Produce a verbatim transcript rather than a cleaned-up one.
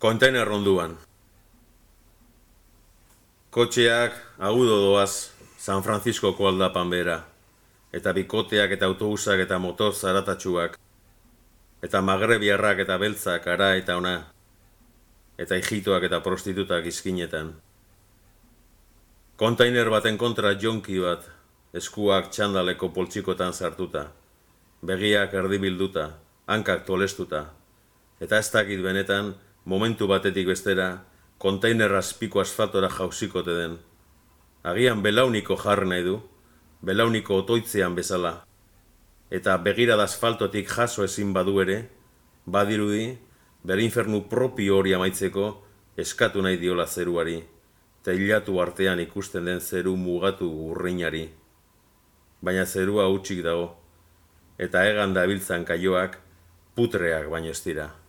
Kontainer ronduan. Kotxeak agudo doaz San Franciscoko aldapan bera, eta bikoteak eta autobusak eta motor zaratatsuak, eta magrebiarrak eta beltzak ara eta ona, eta hijitoak eta prostitutak izkinetan. Kontainer baten kontra jonki bat, eskuak txandaleko poltsikotan sartuta, begiak erdibilduta, hankak tolestuta, eta ez dakit benetan, momentu batetik bestera, kontainer azpiko asfaltora jauzikote den. Agian belauniko jarri nahi du, belauniko otoitzean bezala, eta begirada asfaltotik jaso ezin badu ere, badirudi, bere infernu propio hori amaitzeko eskatu nahi diola zeruari, teilatu artean ikusten den zeru mugatu urreinari. Baina zerua hutsik dago, eta hegan dabiltzan kaioak putreak baino ez dira.